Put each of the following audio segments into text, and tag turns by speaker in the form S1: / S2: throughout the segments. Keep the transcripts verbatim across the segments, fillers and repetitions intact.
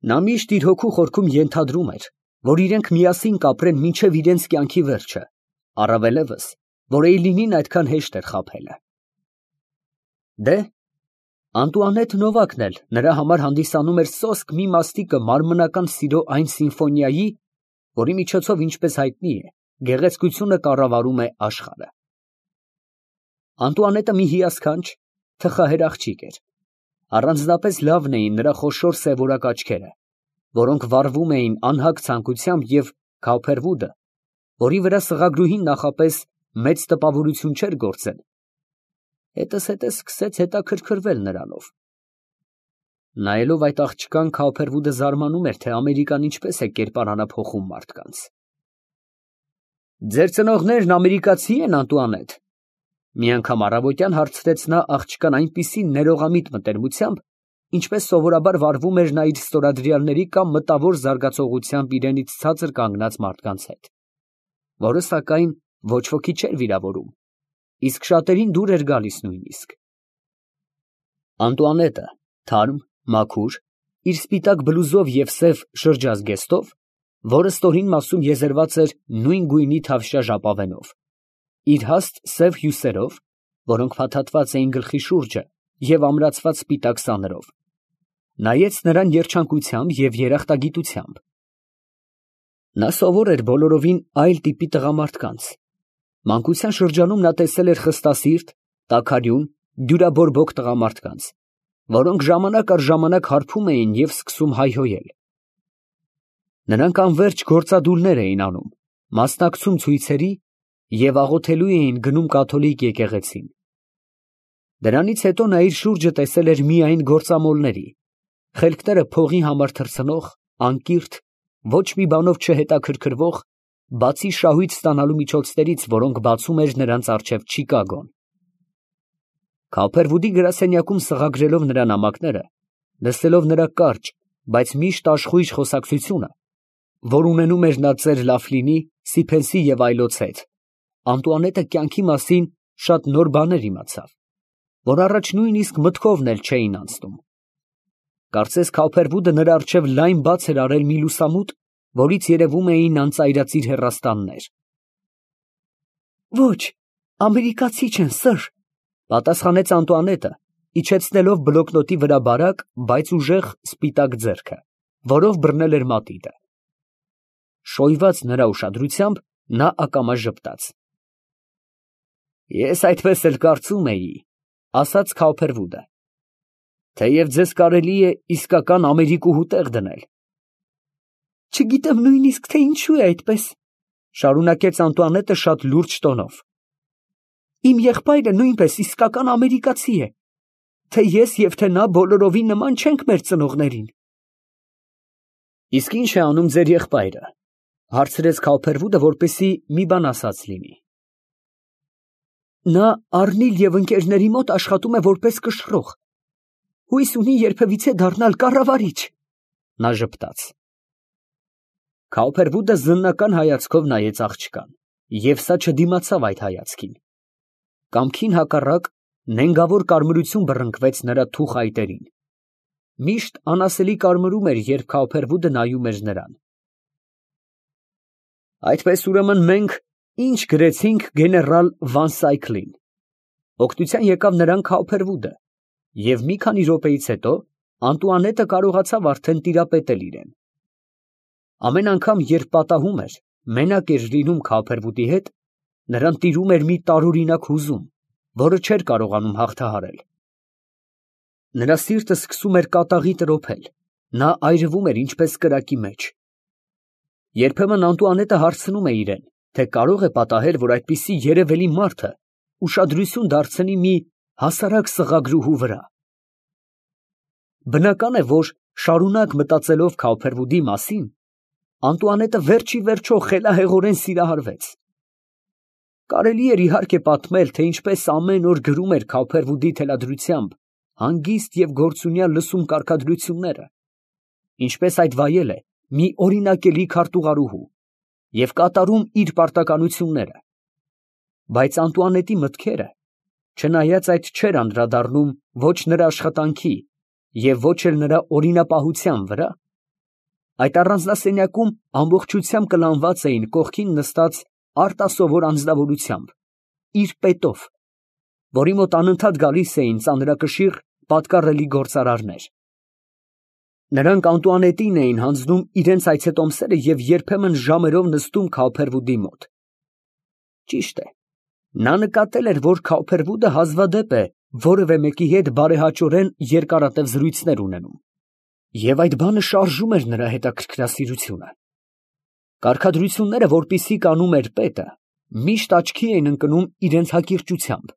S1: Նա միշտ իր հոգու խորքում ենթադրում էր, որ իրենք միասին կապրեն մինչև իրենց կյանքի վերջը, առավելևս, որ Էյլինին այդքան հեշտ էր խաբելը։ Դե, Անտուանետ Նովակն էլ նրա համար հանդիսանում էր սոսկ մի մաստիկը մարմնական սիրո այն սիմֆոնիայի, որի միջոցով, ինչպես հայտնի է, գեղեցկությունը կառավարում է աշխարհը։ Անտուանետը մի հիասքանչ, թխահեր աղջիկ էր։ Առանձնապես լավն էին նրա խոշոր սևորակ աչքերը, որոնք վառվում էին անհագ ցանկությամբ, և Քաուփերվուդը, որի վրա սղագրուհին նախապես մեծ տպավորություն չէր գործել, հետզհետե սկսեց հետաքրքրվել նրանով։ Նայելով այդ աղջկան, Քաուփերվուդը զարմանում էր, թե ամերիկան ինչպես է կերպարանափոխում մարդկանց։ Ձեր ծնողներն ամերիկացի են, Անտուանետ։ Մի անգամ առավոտյան հարցրեց նա աղջկան այնպիսի ներողամիտ մտերմությամբ, ինչպես սովորաբար վարվում էր նա իր ստորադրյալների կամ մտավոր զարգացողությամբ իրենից ցածր կանգնած մարդկանց հետ, որը, սակայն, ոչ ոքի չէր վիրավորում, իսկ շատերին դուր էր գալիս նույնիսկ։ Անտուանետը, թարմ, մաքուր, իր սպիտակ բլուզով և սև շրջազգեստով, որը ստորին մասում եզերված էր նույն գույնի թավշյա ժապավենով, իր հաստ սև հյուսերով, որոնք փաթաթված էին գլխի շուրջը, և ամրացված սպիտակ սաներով, նայեց նրան երջանկությամբ և երախտագիտությամբ։ Նա սովոր էր բոլորովին այլ տիպի տղամարդկանց։ Մանկության շրջանում նա տեսել էր խստասիրտ, տաքարյուն, դյուրաբորբոք տղամարդկանց, որոնք ժամանակ առ ժամանակ հարբում էին և սկսում հայհոյել։ Նրանք անվերջ գործադուլներ էին անում, մասնակցում ցույցերի և աղոթելու էին գնում կաթոլիկ եկեղեցին։ Դրանից հետո նա իր շուրջը տեսել էր միայն գործամոլների, խելքները փողի համար թռցնող, անկիրթ, ոչ մի բանով չհետաքրքրվող, բացի շահույթ ստանալու միջոցներից, որոնք բացում էր նրանց առջև Չիկագոն։ Քաուփերվուդի գրասենյակում սղագրելով նրա նամակները, լսելով նրա կարճ, բայց միշտ աշխույժ խոսակցությունը, որ ունենում էր նա ծեր Լաֆլինի, Սիփենսի և այլոց հետ, Անտուանետը կյանքի մասին շատ նոր բաներ իմացավ, որ առաջ նույնիսկ մտքովն էլ չէին անցնում։ Կարծես Քաուփերվուդը նրա առջև լայն բաց էր արել մի լուսամուտ, որից երևում էին անծայրածիր հեռաստաններ։ Ոչ, ամերիկացի չեն, սըր, պատասխանեց Անտուանետը, իջեցնելով բլոկնոտի վրա բարակ, բայց ուժեղ սպիտակ ձեռքը, որով բռնել էր մատիտը։ Շոյված նրա ուշադրությամբ, նա ակամա ժպտաց։ Ես այդպես էլ կարծում էի, ասաց Քաուփերվուդը, թեև ձեզ կարելի է իսկական ամերիկուհու տեղ դնել։ Չգիտեմ նույնիսկ, թե ինչու է այդպես, շարունակեց Անտուանետը շատ լուրջ տոնով։ Իմ եղբայրը նույնպես իսկական ամերիկացի է, թե ես և թե նա բոլորովին նման չենք մեր ծնողներին։ Իսկ ինչ է անում ձեր եղբայրը, հարցրեց Քաուփերվուդը, որպեսզի մի բան ասած լինի։ Նա Առնիլ և ընկերների մոտ աշխատում է որպես կշռող, հույս ունի երբևիցե դառնալ կառավարիչ, նա ժպտաց։ Քաուփերվուդը զննական հայացքով նայեց աղջկան, և սա չդիմացավ այդ հայացքին։ Կամքին հակառակ, նենգավոր կարմրություն բռնկվեց նրա թուխ այտերին։ Միշտ անասելի կարմրում էր, երբ Քաուփերվուդը նայում էր նրան։ Այդպես ուրեմն մենք ինչ գրեցինք գեներալ Վանսայքլին։ Օգնության եկավ նրան Քաուփերվուդը, և մի քանի րոպեից հետո Անտուանետը կարողացավ արդեն տիրապետել իրեն։ Ամեն անգամ, երբ պատահում էր, մենակ էր լինում Քաուփերվուդի հետ, նրան տիրում էր մի տարօրինակ հուզում, որը չէր կարողանում հաղթահարել։ Նրա սիրտը սկսում էր կատաղի տրոփել, նա այրվում էր ինչպես կրակի մեջ։ Երբեմն Անտուանետը հարցնում է իրեն, թե կարող է պատահել, որ այդպիսի երևելի մարդը ուշադրություն դարձնի մի հասարակ սղագրուհու վրա։ Բնական է, որ շարունակ մտածելով Քաուփերվուդի մասին, Անտուանետը վերջ ի վերջո խելահեղորեն սիրահարվեց։ Կարելի էր իհարկե պատմել, թե ինչպես ամեն օր գրում էր Քաուփերվուդի թելադրությամբ հանգիստ և գործունյա լսում կարգադրությունները, ինչպես այդ վայել է մի օրինակելի քարտուղարուհու և կատարում իր պարտականությունները, բայց Անտուանետի մտքերը, չնայած այդ չէր անդրադառնում ոչ նրա աշխատանքի և ոչ էլ նրա օրինապահության վրա, Այդ առանձնասենյակում ամբողջությամբ կլանված էին կողքին նստած արտասովոր անձնավորությամբ, իր պետով, որի մոտ անընդհատ գալիս էին ծանրակշիռ, պատկառելի գործարարներ։ Նրանք Անտուանետին էին հանձնում իրենց այցետոմսերը և երբեմն ժամերով նստում Քաուփերվուդի մոտ։ Ճիշտ է, նա նկատել էր, որ Քաուփերվուդը հազվադեպ է որևէ մեկի հետ բարեհաճորեն երկարատև զրույցներ ունենում, և այդ բանը շարժում էր նրա հետաքրքրասիրությունը։ Կարգադրությունները, որպիսի կանում էր պետը, միշտ աչքի էին ընկնում իրենց հակիրճությամբ։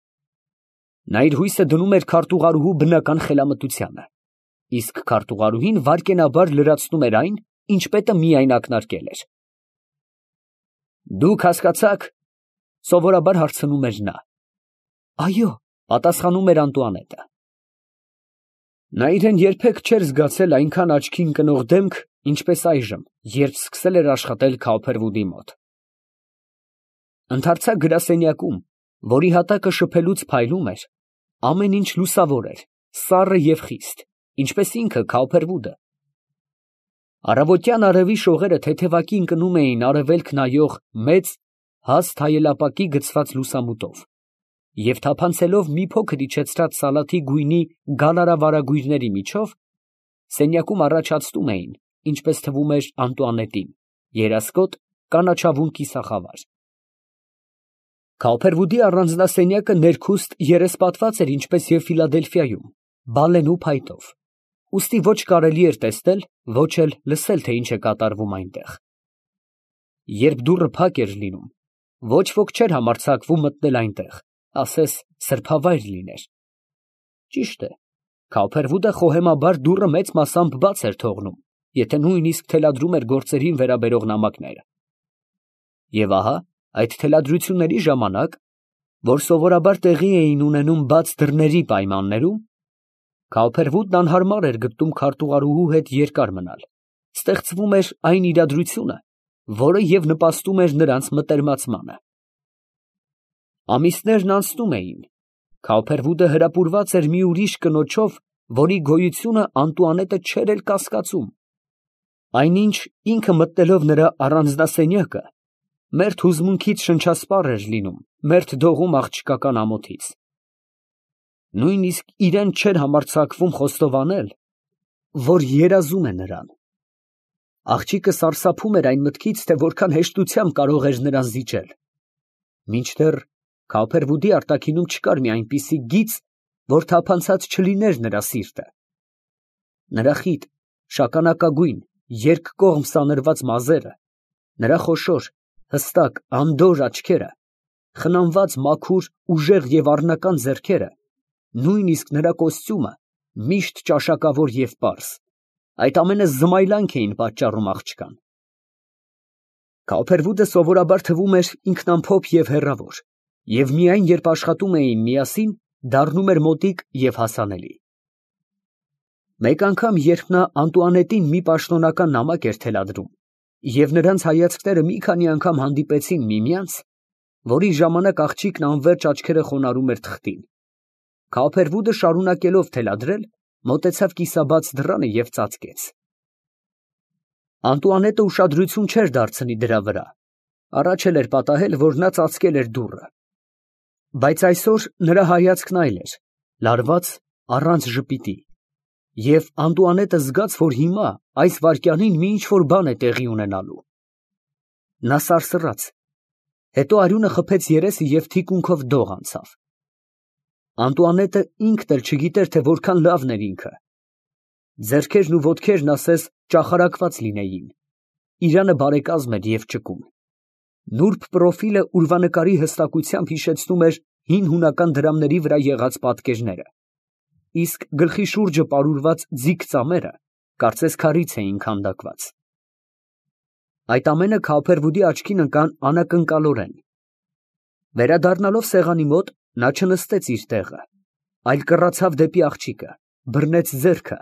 S1: Նա իր հույսը դնում էր քարտուղարուհու բնական խելամտությանը, իսկ քարտուղարուհին վայրկենաբար լրացնում էր այն, ինչ պետը միայն ակնարկել էր։ «Դուք հասկացա՞ք», ֊ սովորաբար հարցնում էր նա։ «Այո», ֊ պատասխանում էր Անտուանետը։ Նա իրան երբեք չէր զգացել այնքան աչքի ընկնող դեմք, ինչպես այժմ, երբ սկսել էր աշխատել Քաուփերվուդի մոտ։ Ընդարձակ գրասենյակում, որի հատակը շփելուց փայլում էր, ամեն ինչ լուսավոր էր, սառը և խիստ, ինչպես ինքը Քաուփերվուդը։ Առավոտյան արևի շողերը թեթևակի ընկնում էին արևելք նայող մեծ, հաստ հայելապակի գցված լուսամուտով, և թափանցելով մի փոքր իջեցրած սալաթի գույնի գալարավարագույրների միջով, սենյակում առաջացնում էին, ինչպես թվում էր Անտուանետին, երասկոտ, կանաչավուն կիսախավար։ Քաուփերվուդի առանձնասենյակը ներքուստ երեսպատված էր ինչպես և Ֆիլադելֆիայում, բալենու փայտով, ուստի ոչ կարելի էր տեսնել, ոչ էլ լսել, թե ինչ է կատարվում այնտեղ։ Երբ դուռը փակ էր լինում, ոչ ոք չէր համարձակվում մտնել այնտեղ, ասես սրբավայր լիներ։ Ճիշտ է, Քաուփերվուդը խոհեմաբար դուռը մեծ մասամբ բաց էր թողնում, եթե նույնիսկ թելադրում էր գործերին վերաբերող նամակները։ Եվ ահա այդ թելադրությունների ժամանակ, որ սովորաբար տեղի էին ունենում բաց դռների պայմաններում, Քաուփերվուդն անհարմար էր գտնում քարտուղարուհու հետ երկար մնալ, ստեղծվում էր այն իրադրությունը, որը և նպաստում էր նրանց մտերմացմանը։ Ամիսներն անցնում էին, Քաուփերվուդը հրապուրված էր մի ուրիշ կնոջով, որի գոյությունը Անտուանետը չէր էլ կասկածում։ Այնինչ, ինքը մտնելով նրա առանձնասենյակը, մերթ հուզմունքից շնչասպառ էր լինում, մերթ դողում աղջկական ամոթից։ Նույնիսկ իրան չէր համարձակվում խոստովանել, որ երազում է նրան։ Աղջիկը սարսափում էր այն մտքից, թե որքան հեշտությամբ կարող էր նրան զիջել, մինչդեռ Քաուփերվուդի արտաքինում չկար մի այնպիսի գիծ, որ թափանցած չլիներ նրա սիրտը։ Նրա խիտ, շագանակագույն, երկկողմ սանրված մազերը, նրա խոշոր, հստակ, անդորր աչքերը, խնամված, մաքուր, ուժեղ և առնական ձեռքերը, նույնիսկ նրա կոստյումը, միշտ ճաշակավոր և պարզ, այդ ամենը զմայլանք էին պատճառում աղջկան։ Քաուփերվուդը սովորաբար թվում էր ինքնամփոփ և հեռավոր, և միայն երբ աշխատում էին միասին, դառնում էր մոտիկ և հասանելի։ Մեկ անգամ, երբ նա Անտուանետին մի պաշտոնական նամակ էր թելադրում, և նրանց հայացքները մի քանի անգամ հանդիպեցին միմյանց, որի ժամանակ աղջիկն անվերջ աչքերը խոնարհում էր թղթին, Քաուփերվուդը շարունակելով թելադրել, մոտեցավ կիսաբաց դռանը և ծածկեց։ Անտուանետը ուշադրություն չէր դարձնի դրա վրա, առաջ էլ էր պատահել, որ նա ծածկել էր դուռը։ Բայց այսօր նրա հայացքն այլ էր, լարված, առանց ժպիտի, և Անտուանետը զգաց, որ հիմա, այս վայրկյանին մի ինչ֊որ բան է տեղի ունենալու։ Նա սարսռաց, հետո արյունը խփեց երեսը և թիկունքով դող անցավ։ Անտուանետը ինքն էլ չգիտեր, թե որքան լավն էր ինքը։ Ձեռքերն ու ոտքերն ասես ճախարակված լինեին, իրանը բարեկազմ էր և ճկուն։ Նուրբ պրոֆիլը ուրվանկարի հստակությամբ հիշեցնում էր հին հունական դրամների վրա եղած պատկերները, իսկ գլխի շուրջը պարուրված ձիգ ծամերը կարծես քարից էին քանդակված։ Այդ ամենը Քաուփերվուդի աչքին ընկան անակնկալորեն։ Վերադառնալով սեղանի մոտ, նա չնստեց իր տեղը, այլ կռացավ դեպի աղջիկը, բռնեց ձեռքը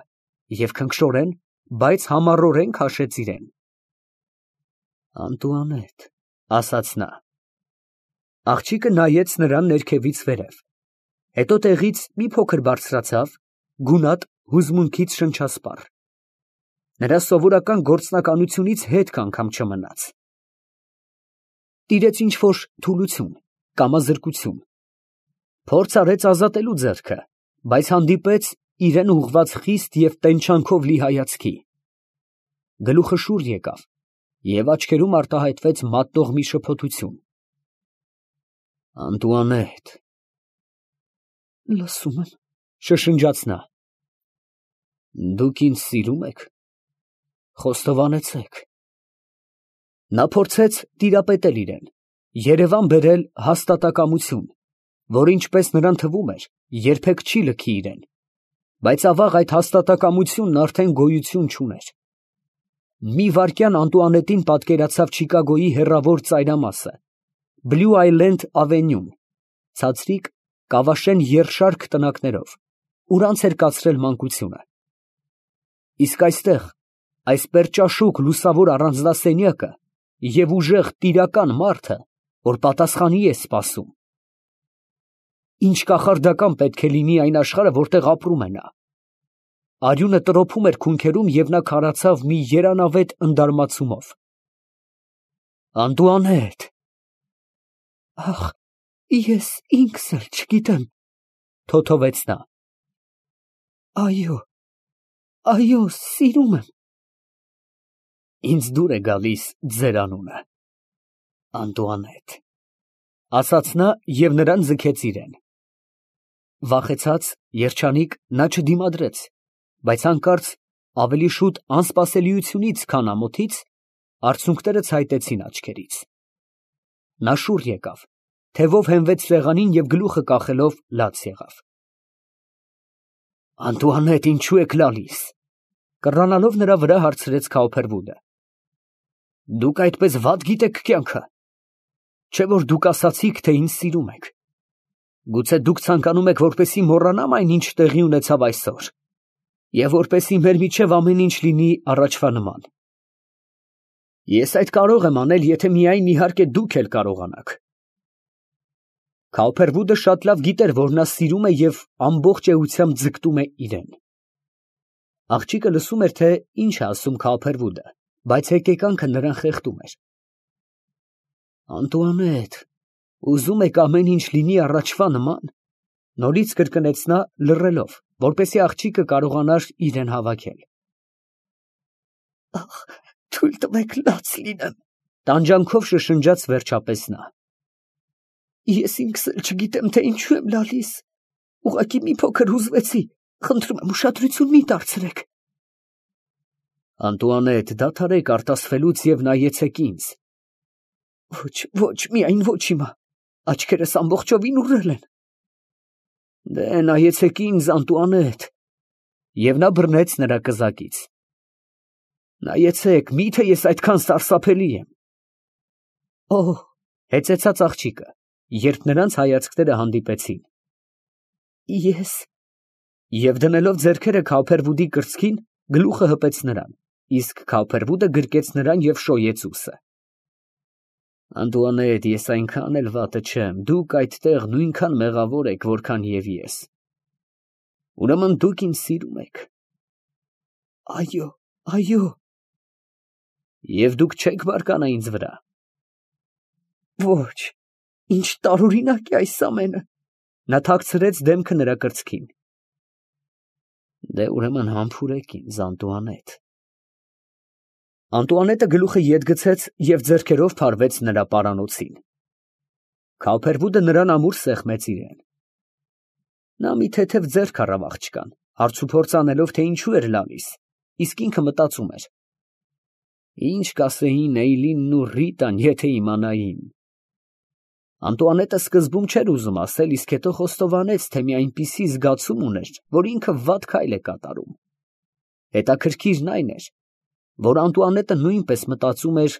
S1: և քնքշորեն, բայց համառորեն քաշեց իրան։ «Անտուանետ», ֊ ասաց նա։ Աղջիկը նայեց նրան ներքևից վերև, հետո տեղից մի փոքր բարձրացավ, գունատ, հուզմունքից շնչասպառ։ Նրա սովորական գործնականությունից հետք անգամ չմնաց։ Տիրեց ինչ-որ թուլություն, կամազրկություն։ Փորձ արեց ազատելու ձեռքը, բայց հանդիպեց իրեն ուղղված խիստ և տենչանքով լի հայացքի։ Գլուխը շուռ եկավ, և աչքերում արտահայտվեց մատնող մի շփոթություն։ Անտուանետ… Լսում եմ, շշնջաց նա։ Դուք ինձ սիրում եք, խոստովանեցեք։ Նա փորձեց տիրապետել իրան, երևան բերել հաստատակամություն, որ, ինչպես նրան թվում էր, երբեք չի լքի իրան, բայց ավաղ այդ հաստատակամությունն արդեն գոյություն չուներ։ Մի վայրկյան Անտուանետին պատկերացավ Չիկագոյի հեռավոր ծայրամասը, Բլու Այլենդ ավենյուն, ցածրիկ, կավաշեն երկշարք տնակներով, ուր անց էր կացրել մանկությունը։ Իսկ այստեղ, այս պերճաշուք լուսավոր առանձնասենյակը և ուժեղ տիրական մարդը, որ պատասխանի է սպասում… Ինչ կախարդական պետք է լինի այն աշխարհը, որտեղ ապրում է նա… Արյունը տրոփում էր քունքերում, և նա քարացավ մի երանավետ ընդարմացումով։ Անտուանետ… Ախ, ես ինքս էլ չգիտեմ… թոթվեց նա։ Այո… այո, սիրում եմ… Ինձ դուր է գալիս ձեր անունը… Անտուանետ… ֊ ասաց նա և նրան ձգեց իրան։ Վախեցած, երջանիկ, նա չդիմադրեց, բայց հանկարծ, ավելի շուտ անսպասելիությունից, քան ամոթից, արցունքները ցայտեցին աչքերից։ Նա շուռ եկավ, թևով հենվեց սեղանին և գլուխը կախելով լաց եղավ։ Անտուանետ, ինչո՞ւ եք լալիս… ֊ կռանալով նրա վրա, հարցրեց Քաուփհերվուդը։ Դուք այդպես վատ գիտեք կյանքը… Չէ՞ որ դուք ասացիք, թե ինձ սիրում եք… Գուցե դուք ցանկանում եք, որպեսզի մոռանամ այն, ինչ տեղի ունեցավ այսօր, և որպեսզի մեր միջև ամեն ինչ լինի առաջվա նման… Ես այդ կարող եմ անել, եթե միայն, իհարկե, դուք էլ կարողանաք… Քաուփհերվուդը շատ լավ գիտեր, որ նա սիրում է և ամբողջ էությամբ ձգտում է իրան… Աղջիկը լսում էր, թե ինչ է ասում Քաուփհերվուդը, բայց հեկեկանքը նրան խեղդում էր։ Անտուանետ… ուզում եք ամեն ինչ լինի առաջվա նման… ֊ նորից կրկնեց նա, լռելով, որպեսզի աղջիկը կարողանար իրան հավաքել։ Ախ, թույլ տվեք լաց լինեմ… ֊ տանջանքով շշնջաց վերջապես նա։ Ես ինքս էլ չգիտեմ, թե ինչու եմ լալիս… ուղղակի մի փոքր հուզվեցի… խնդրում եմ, ուշադրություն մի դարձրեք… Անտուանետ, դադարեք արտասվելուց և նայեցեք ինձ… Ոչ, ոչ, միայն ոչ հիմա… աչքերս ամբողջովին ուռել են… Դե, նայեցեք ինձ, Անտուանետ… և նա բռնեց նրա կզակից… Նայեցեք, մի՞թե ես այդքան սարսափելի եմ… Օհ… ֊ հեծեցաց աղջիկը, երբ նրանց հայացքները հանդիպեցին… Ես… և դնելով ձեռքերը Քաուփհերվուդի կրծքին, գլուխը հպեց նրան, իսկ Քաուփհերվուդը գրկեց նրան և շոյեց ուսը… Անտուանետ, ես այնքան էլ վատը չեմ, դուք այդտեղ նույնքան մեղավոր եք, որքան և ես… Ուրեմն դուք ինձ սիրում եք… Այո… այո… Եվ դուք չեք բարկանա ինձ վրա… Ոչ… Ինչ տարօրինակ է այս ամենը… Նա թաքցրեց դեմքը նրա կրծքին… Դե, ուրեմն համբուրեք ինձ, Անտուանետ… Անտուանետը գլուխը ետ գցեց և ձեռքերով փարվեց նրա պարանոցին… Քաուփհերվուդը նրան ամուր սեղմեց իրան… Նա մի թեթև ձեռք առավ աղջկան, հարցուփորձ անելով, թե ինչու էր լալիս, իսկ ինքը մտածում էր. Ինչ կասեին Էյլինն ու Ռիտան, եթե իմանային… Անտուանետը սկզբում չէր ուզում ասել, իսկ հետո խոստովանեց, թե մի այնպիսի զգացում ուներ, որ ինքը վատ քայլ է կատարում… Հետաքրքիրն այն էր, որ Անտուանետը նույնպես մտածում էր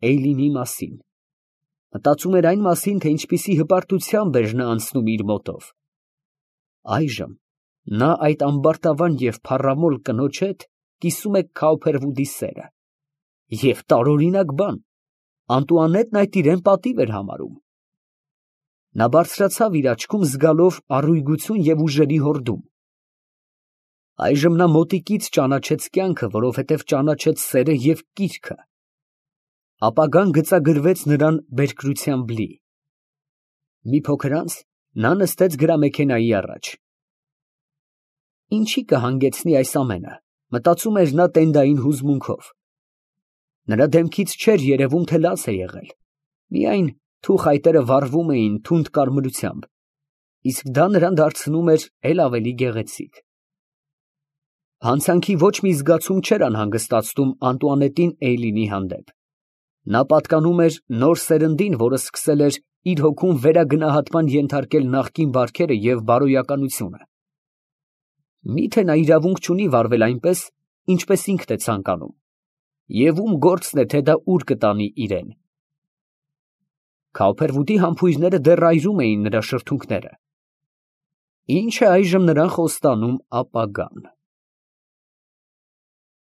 S1: Էյլինի մասին… մտածում էր այն մասին, թե ինչպիսի հպարտությամբ էր նա անցնում իր մոտով… Այժմ նա այդ ամբարտավան և փառամոլ կնոջ հետ կիսում է Քաուփհերվուդի սերը… Եվ տարօրինակ բան, Անտուանետն այդ իրան պատիվ էր համարում… Նա բարձրացավ իր աչքում, զգալով առույգություն և ուժերի հորդում… Այժմ նա մոտիկից ճանաչեց կյանքը, որովհետև ճանաչեց սերը և կիրքը. ապագան գծագրվեց նրան բերկրությամբ լի։ Մի փոքր անց նա նստեց գրամեքենայի առաջ։ Ինչի կհանգեցնի այս ամենը, մտածում էր նա տենդային հուզմունքով։ Նրա դեմքից չէր երևում, թե լաց է եղել, միայն թուխ այտերը վառվում էին թունդ կարմրությամբ, իսկ դա նրան դարձնում էր էլ ավելի գեղեցիկ։ Հանցանքի ոչ մի զգացում չէր անհանգստացնում Անտուանետին Էյլինի հանդեպ։ Նա պատկանում էր նոր սերնդին, որը սկսել էր իր հոգում վերագնահատման ենթարկել նախկին բարքերը և բարոյականությունը։ Մի՞թե նա իրավունք չունի վարվել այնպես, ինչպես ինքն է ցանկանում, և ում գործն է, թե դա ուր կտանի իրան։ Քաուփերվուդի համբույրները դեռ այրում էին նրա շրթունքները։ Ի՞նչ է այժմ նրան խոստանում ապագան։